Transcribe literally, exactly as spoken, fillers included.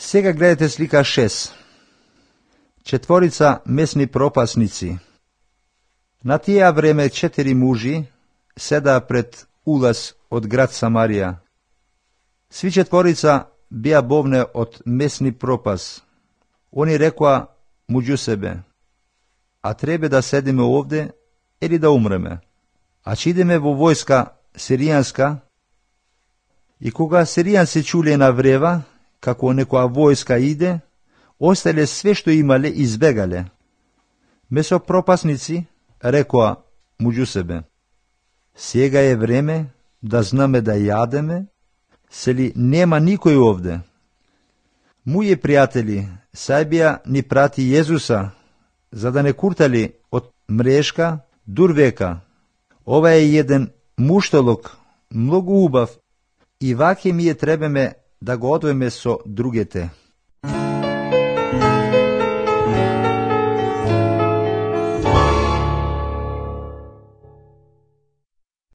Сега гледате слика шест. Четворица месни пропасници. На тие време четири мужи седаа пред улаз од град Самарија. Сви четворица беа бовне од месни пропас. Они рекоа муѓу себе: а требе да седиме овде или да умреме? А че идеме во војска сиријанска? И кога сиријанци чуле на врева како некоја војска иде, остале све што имале и избегале. Месопропасници рекоа муѓу себе: сега е време да знаме да јадеме, сели нема никој овде. Моји пријатели, Сајбија ни прати Језуса, за да не куртали од мрешка дур века. Ова е еден муштолок, многу убав, и ваќе ми е требеме да го одвеме со другите.